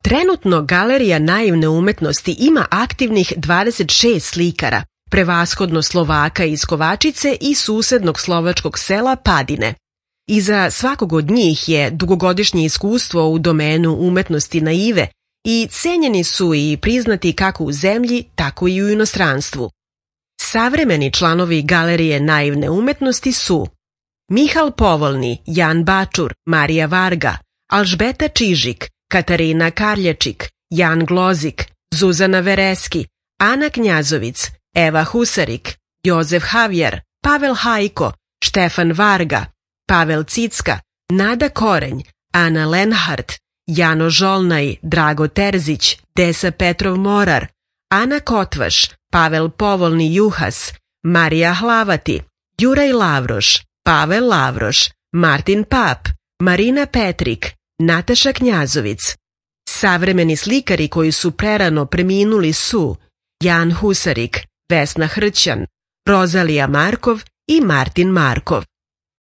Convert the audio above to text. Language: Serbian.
Trenutno Galerija naivne umetnosti ima aktivnih 26 slikara, prevashodno Slovaka iz Kovačice i susednog slovačkog sela Padine. Iza svakog od njih je dugogodišnje iskustvo u domenu umetnosti naive i cenjeni su i priznati kako u zemlji, tako i u inostranstvu. Savremeni članovi Galerije naivne umetnosti su Mihal Povolni, Jan Bačur, Marija Varga, Alžbeta Čižik, Katarina Karljačik, Jan Glozik, Zuzana Vereski, Ana Knjazovic, Eva Husarik, Jozef Havjar, Pavel Hajko, Štefan Varga, Pavel Cicka, Nada Korenj, Ana Lenhart, Jano Žolnaj, Drago Terzić, Desa Petrov Morar, Ana Kotvaš, Pavel Povolni Juhas, Marija Hlavati, Juraj Lavroš, Pavel Lavroš, Martin Pap, Marina Petrik, Nataša Knjazovic. Savremeni slikari koji su prerano preminuli su Jan Husarik, Vesna Hrćan, Rozalija Markov i Martin Markov.